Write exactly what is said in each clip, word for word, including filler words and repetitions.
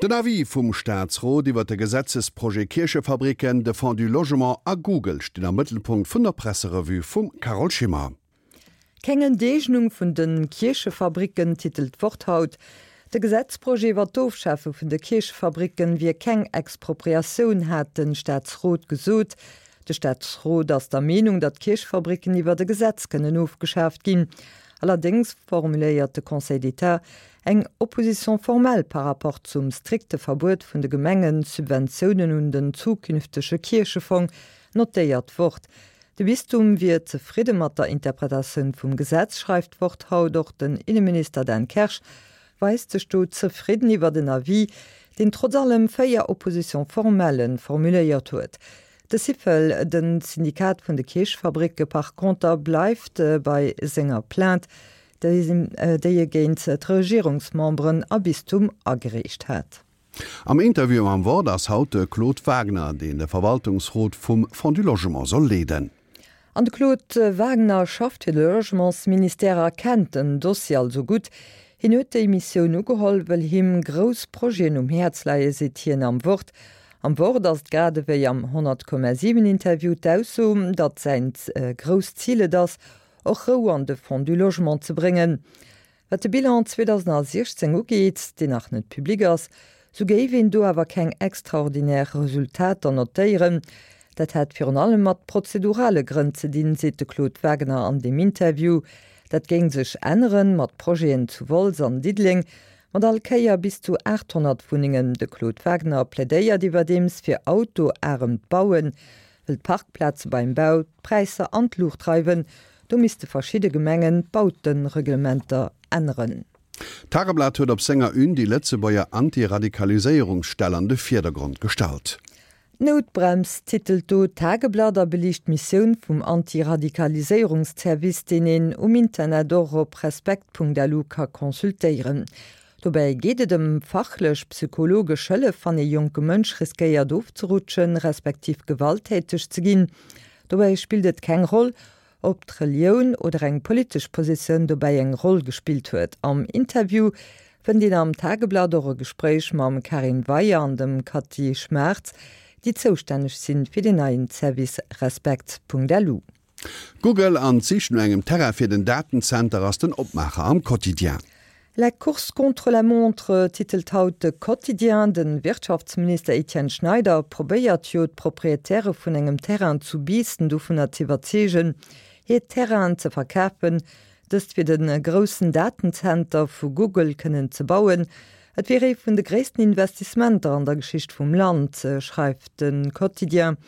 Den Avis vum Staatsrot iwwer de Gesetzesprojet Kierchefabriken, de Fonds du Logement a Google stinn am Mëttelpunkt vun der Presserevue vum Carole Schimmer. Keng Enteegnung vun de Kierchefabricken, titelt d'Wort haut. De Gesetzprojet iwwer d'Ofschafe vun de Kierchefabricken wier keng Expropriatioun, hat de Staatsrot gesot. De Staatsrot ass der Meenung, datt d'Kierchefabricken iwwer e Gesetz kënnen ofgeschaaft ginn. Allerdéngs formuléiert de Conseil d'État eng Opposition formelle par rapport zum strikte Verbuet vun de Gemengen, Subventiounen un den zukünftege Kierchefong, notéiert d'Wort. De Bistum wier zefridde mat der Interpretatioun vum Gesetz, schreift d'Wort haut. Och den Inneminister Dan Kersch weist sech do zefridden iwwer den Avis, deen trotz allem véier Oppositions formellen formuléiert huet. De Syfel, de Syndikat vun de Kierchefabricke par conter, bleift bei senger Plainte, déi e géint d'Regierungsmemberen a Bistum agereecht hat. Am Interview am Wort ass haut de Claude Wagner, deen de Verwaltungsrot vum Fonds du Logement soll leeden. An de Claude Wagner schafft fir de Logementsministère a kennt den Dossier also gutt. Hien huet déi Missioun ugeholl, well him grouss Projeten um Häerz leien, seet hien am Wort. Am Wort ass et grad ewéi am honnert Komma siwen Interview d'Ausso, datt säin grousst Zil et ass, och Rou an de Fonds du Logement ze bréngen. Wat de Bilan zweedausensiechzéng ugeet, deen nach net public ass, sou géif een do awer keng extraordinär Resultater notéieren. Dat hätt virun allem mat prozedurale Grënn ze dinn, seet de Claude Wagner an deem Interview. Dat géing sech änneren, mat Projeten zu Wolz an Diddeleng, mat all Kéier bis zu aathonnert Wunnengen. De Claude Wagner plädéiert iwwerdeems fir autoaremt Bauen, wëll d'Parkplaze beim Bau d'Präisser an d'Luucht dreiwen. Do misste verschidde Gemengen d'Bautereglementer änneren. D'Tageblatt huet op senger Une déi Lëtzebuerger Antiradikaliséierungsstell an de Virdergrond gestallt. D'Noutbrems titelt do d'Tageblatt a beliicht d'Missioun vum Antiradikaliséierungszervice, deen een um Internet och op respekt.lu ka consultéieren. Dobäi geet et ëm fachlech psychologesch Hëllef, wann ee jonke Mënsch riskéiert ofzerutschen, respektiv gewalttäteg ze ginn. Dobäi spillt et keng Roll, ob d'Relioun oder eng politesch Positioun dobäi eng Roll gespillt huet. Am Interview fënnt een am Tageblatt och e Gespréich mam Karin Weyer an dem Cathy Schmaertz, déi zoustänneg sinn fir den neien Service Respekt.lu. Google an d'Sich no engem Terrain fir den Datenzenter ass den Opmaacher am Quotidien. La course contre la montre titelt haut de Quotidien. De Wirtschaftsminister Etienne Schneider probéiert jo d'Proprietäre vun engem Terrain zu Biissen dovunner z'iwwerzeegen, hir Terrainen ze verkafen, dëst fir de groussen Datenzenter vu Google kënnen ze bauen. Et wier ee vun de gréissten Investissementer an der Geschicht vum Land, schreift de Quotidien.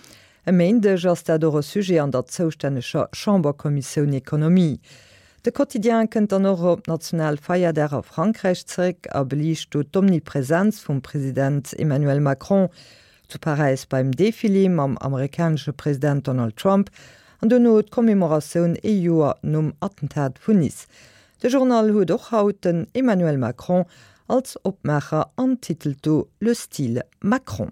E Méindeg ass dat och e Sujet an der zoustänneger Chamberkommissioun Ekonomie. De Quotidien kënnt dann och op Nationalfeierdag a Frankräich zeréck a beliicht do d'Omnipresenz vum President Emmanuel Macron zu Paräis beim Defilé mam amerikanesche President Donald Trump an duerno d'Commemoratioun ee Joer nom Attentat vun Nice. De Journal huet och haut den Emmanuel Macron als Opmaacher an titelt do Le style Macron.